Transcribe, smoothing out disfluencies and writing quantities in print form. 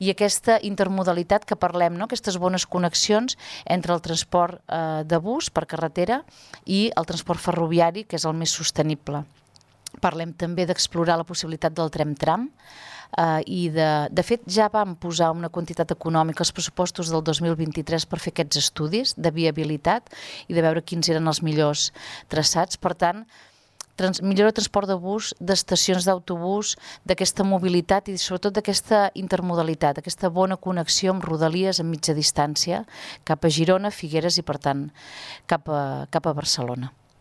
i aquesta intermodalitat que parlem, no? Aquestes bones connexions entre el transport de bus per carretera i el transport ferroviari, que és el més sostenible. Parlem també d'explorar la possibilitat del tram-tram i de fet ja vam posar una quantitat econòmica als pressupostos del 2023 per fer aquests estudis de viabilitat i de veure quins eren els millors traçats. Per tant, millora el transport de bus, d'estacions d'autobús, d'aquesta mobilitat i sobretot d'aquesta intermodalitat, aquesta bona connexió amb rodalies a mitja distància cap a Girona, Figueres i per tant cap a Barcelona.